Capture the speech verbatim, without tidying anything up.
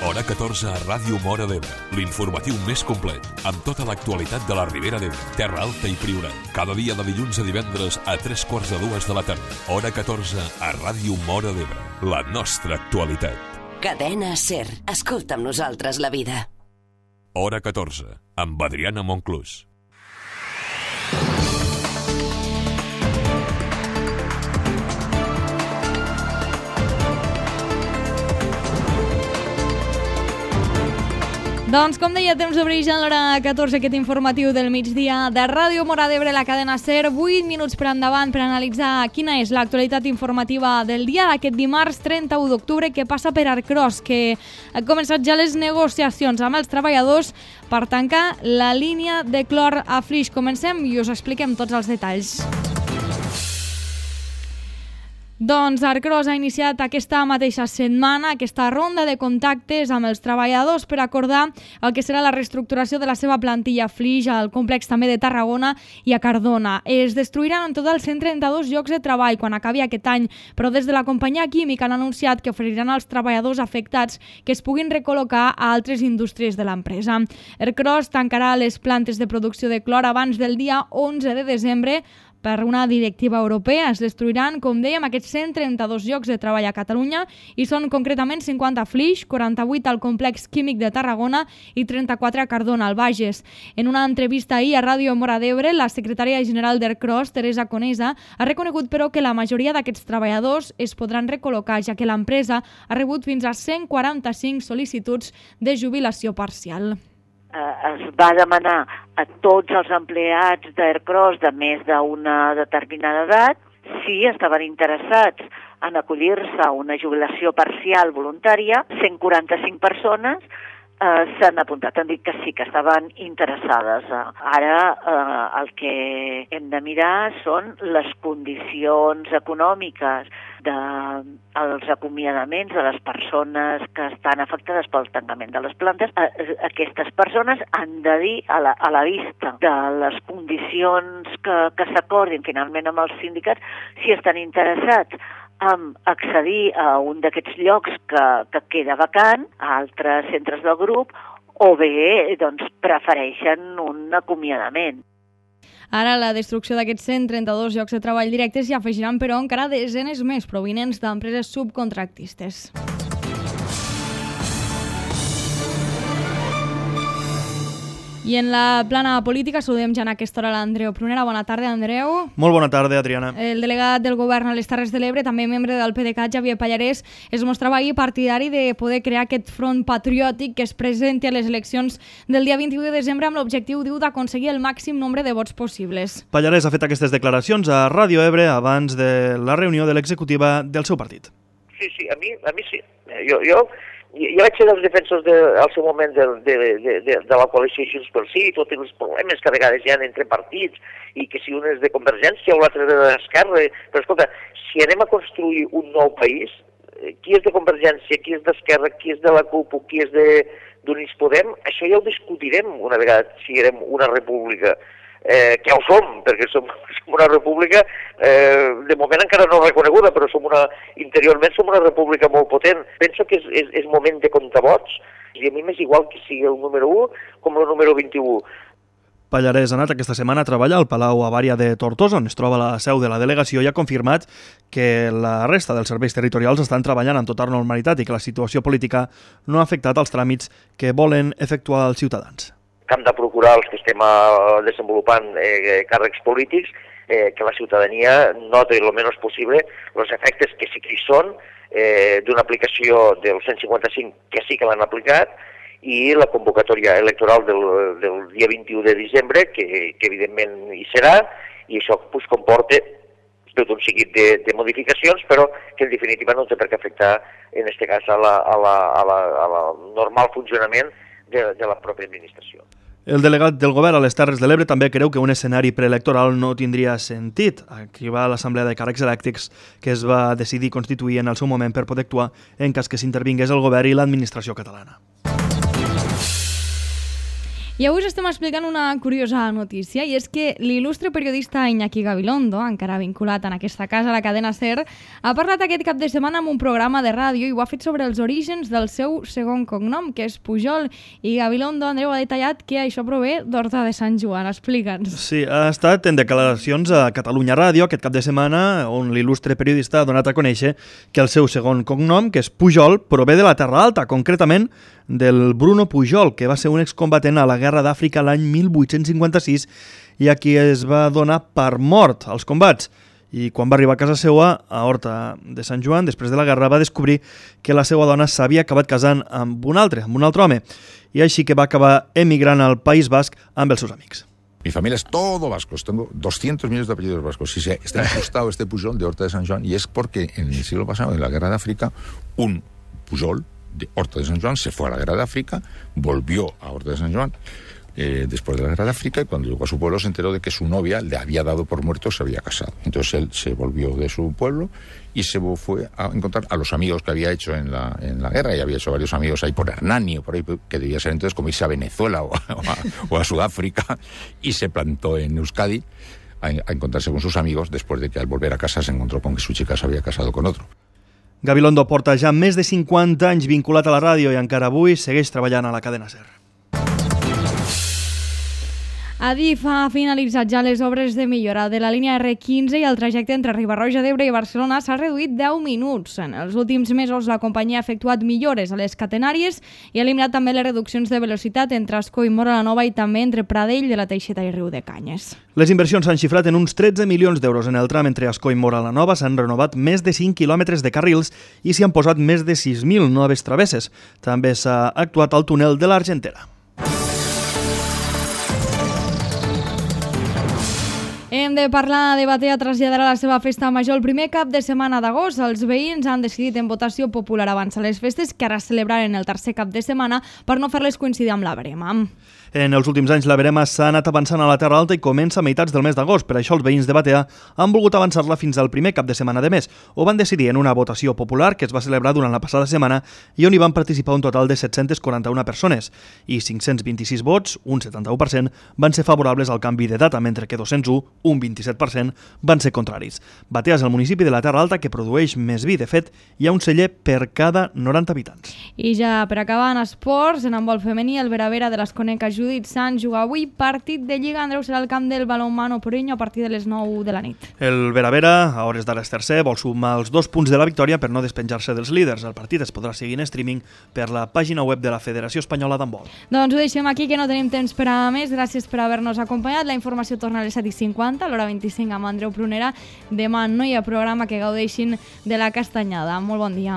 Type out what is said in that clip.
Hora catorze a Ràdio Móra d'Ebre, l'informatiu més complet, amb tota l'actualitat de la Ribera d'Ebre, Terra Alta i Priorat. Cada dia de dilluns a divendres a tres quarts de dues de la tarda. Hora catorze a Ràdio Móra d'Ebre, la nostra actualitat. Cadena SER. Escolta amb nosaltres la vida. Hora catorze, amb Adriana Monclús. Doncs, com deia, temps d'obrir ja a l'hora catorze, aquest informatiu del migdia de Ràdio Móra d'Ebre, la cadena SER. vuit minuts per endavant per analitzar quina és l'actualitat informativa del dia d'aquest dimarts trenta-u d'octubre, que passa per Arcros, que han començat ja les negociacions amb els treballadors per tancar la línia de clor a Flix. Comencem i us expliquem tots els detalls. Doncs Arcros ha iniciat aquesta mateixa setmana aquesta ronda de contactes amb els treballadors per acordar el que serà la reestructuració de la seva plantilla a Flix, al complex també de Tarragona i a Cardona. Es destruiran en total cent trenta-dos llocs de treball quan acabi aquest any, però des de la companyia química han anunciat que oferiran als treballadors afectats que es puguin recol·locar a altres indústries de l'empresa. Arcros tancarà les plantes de producció de clor abans del dia onze de desembre, per una directiva europea. Es destruiran, com dèiem, aquests cent trenta-dos llocs de treball a Catalunya i són concretament cinquanta a Flix, quaranta-vuit al complex químic de Tarragona i trenta-quatre a Cardona, al Bages. En una entrevista ahir a Ràdio Móra d'Ebre, la secretària general d'Arcros, Teresa Conesa, ha reconegut però que la majoria d'aquests treballadors es podran recol·locar, ja que l'empresa ha rebut fins a cent quaranta-cinc sol·licituds de jubilació parcial. Es va demanar a tots els empleats d'Arcros de més d'una determinada edat si estaven interessats en acollir-se a una jubilació parcial voluntària. cent quaranta-cinc persones eh, s'han apuntat, han dit que sí, que estaven interessades. Ara eh, el que hem de mirar són les condicions econòmiques dels acomiadaments de les persones que estan afectades pel tancament de les plantes. Aquestes persones han de dir a la, a la vista de les condicions que, que s'acordin finalment amb els sindicats si estan interessats en accedir a un d'aquests llocs que, que queda vacant, a altres centres del grup, o bé doncs, prefereixen un acomiadament. Ara, la destrucció d'aquests cent trenta-dos llocs de treball directes hi afegiran, però, encara desenes més provinents d'empreses subcontractistes. I en la plana política saludem ja en aquesta hora l'Andreu Prunera. Bona tarda, Andreu. Molt bona tarda, Adriana. El delegat del govern a les Terres de l'Ebre, també membre del PDeCAT, Xavier Pallarès, es mostrava ahir partidari de poder crear aquest front patriòtic que es presenti a les eleccions del dia vint-i-u de desembre amb l'objectiu, diu, d'aconseguir el màxim nombre de vots possibles. Pallarès ha fet aquestes declaracions a Ràdio Ebre abans de la reunió de l'executiva del seu partit. Sí, sí, a mi, a mi sí. Jo... jo... Jo vaig ser dels defensors de, al seu moment de, de, de, de, de la coalició Junts pel Sí, tots els problemes que a vegades hi ha entre partits, i que si un és de Convergència o l'altre de l'Esquerra. Però escolta, si anem a construir un nou país, qui és de Convergència, qui és d'Esquerra, qui és de la CUP o qui és d'Units Podem, això ja ho discutirem una vegada si siguem una república. Eh, que ja ho som, perquè som, som una república, eh, de moment encara no reconeguda, però som una, interiorment som una república molt potent. Penso que és, és, és moment de comptar vots, i a mi m'és igual que sigui el número u com el número vint-i-u. Pallarès ha anat aquesta setmana a treballar al Palau Avària de Tortosa, on es troba la seu de la delegació, i ha confirmat que la resta dels serveis territorials estan treballant amb tota normalitat i que la situació política no ha afectat els tràmits que volen efectuar els ciutadans. Que hem de procurar els que estem uh, desenvolupant eh, càrrecs polítics, eh, que la ciutadania noti el menys possible els efectes que sí que hi són eh, d'una aplicació del cent cinquanta-cinc, que sí que l'han aplicat, i la convocatòria electoral del, del dia vint-i-u de desembre, que, que evidentment hi serà, i això pues, comporta tot un seguit de, de modificacions, però que en definitiva no té per què afectar, en aquest cas, a la, a la, a la, a la normal funcionament de, de la pròpia administració. El delegat del govern a les Terres de l'Ebre també creu que un escenari preelectoral no tindria sentit. Aquí va l'Assemblea de Càrrecs Elèctrics que es va decidir constituir en el seu moment per poder actuar en cas que s'intervingués el govern i l'administració catalana. I avui us estem explicant una curiosa notícia, i és que l'il·lustre periodista Iñaki Gabilondo, encara vinculat en aquesta casa, a la cadena SER, ha parlat aquest cap de setmana en un programa de ràdio i ho ha fet sobre els orígens del seu segon cognom, que és Pujol. I Gabilondo, Andreu, ha detallat que això prové d'Horta de Sant Joan. Explica'ns. Sí, ha estat en declaracions a Catalunya Ràdio aquest cap de setmana, on l'il·lustre periodista ha donat a conèixer que el seu segon cognom, que és Pujol, prové de la Terra Alta, concretament del Bruno Pujol, que va ser un excombatent a la Guerra d'Àfrica l'any mil vuit-cents cinquanta-sis i a qui es va donar per mort als combats. I quan va arribar a casa seva, a Horta de Sant Joan, després de la guerra, va descobrir que la seva dona s'havia acabat casant amb un altre, amb un altre home, i així que va acabar emigrant al País Basc amb els seus amics. Mi familia es todo vascos, tengo doscientos millones de apellidos vascos. Si se está incrustado este Pujol de Horta de Sant Joan, y es porque en el siglo pasado, en la Guerra de África, un Pujol de Horta de Sant Joan se fue a la Guerra de África, volvió a Horta de Sant Joan eh, después de la Guerra de África, y cuando llegó a su pueblo se enteró de que su novia le había dado por muerto, se había casado. Entonces él se volvió de su pueblo y se fue a encontrar a los amigos que había hecho en la, en la guerra, y había hecho varios amigos ahí por Hernani, o por ahí, que debía ser entonces como irse a Venezuela o a, o a, o a Sudáfrica, y se plantó en Euskadi a, a encontrarse con sus amigos después de que al volver a casa se encontró con que su chica se había casado con otro. Gabilondo porta ja més de cinquanta anys vinculat a la ràdio i encara avui segueix treballant a la cadena SER. Adif ha finalitzat ja les obres de millora de la línia erre quinze i el trajecte entre Riba-roja d'Ebre i Barcelona s'ha reduït deu minuts. En els últims mesos la companyia ha efectuat millores a les catenàries i ha eliminat també les reduccions de velocitat entre Ascó i Móra la Nova i també entre Pradell de la Teixeta i Riu de Canyes. Les inversions s'han xifrat en uns tretze milions d'euros. En el tram entre Ascó i Móra la Nova s'han renovat més de cinc quilòmetres de carrils i s'hi han posat més de sis mil noves travesses. També s'ha actuat al túnel de l'Argentera. Hem de parlar de Batea traslladarà la seva festa major el primer cap de setmana d'agost. Els veïns han decidit en votació popular abans a les festes, que ara celebraren el tercer cap de setmana, per no fer-les coincidir amb la verema. En els últims anys la verema s'ha anat avançant a la Terra Alta i comença a meitats del mes d'agost. Per això els veïns de Batea han volgut avançar-la fins al primer cap de setmana de mes. Ho van decidir en una votació popular que es va celebrar durant la passada setmana i on hi van participar un total de set-cents quaranta-una persones. I cinc-cents vint-i-sis vots, un setanta-u per cent, van ser favorables al canvi de data, mentre que dos-cents u, un vint-i-set per cent, van ser contraris. Batea és el municipi de la Terra Alta que produeix més vi. De fet, hi ha un celler per cada noranta habitants. I ja per acabar en esports, en handbol femení, el Vera-Vera de l'Esconeca Judit Sant juga avui partit de Lliga. Andreu, serà el camp del Balonmano Porreño a partir de les nou de la nit. El Vera-Vera, a hores d'ara és tercer, vol sumar els dos punts de la victòria per no despenjar-se dels líders. El partit es podrà seguir en streaming per la pàgina web de la Federació Espanyola d'Handbol. Doncs ho deixem aquí, que no tenim temps per a més. Gràcies per haver-nos acompanyat. La informació torna a les set i cinquanta, a l'hora vint-i-cinc amb Andreu Prunera. Demà no hi ha programa, que gaudeixin de la castanyada. Molt bon dia.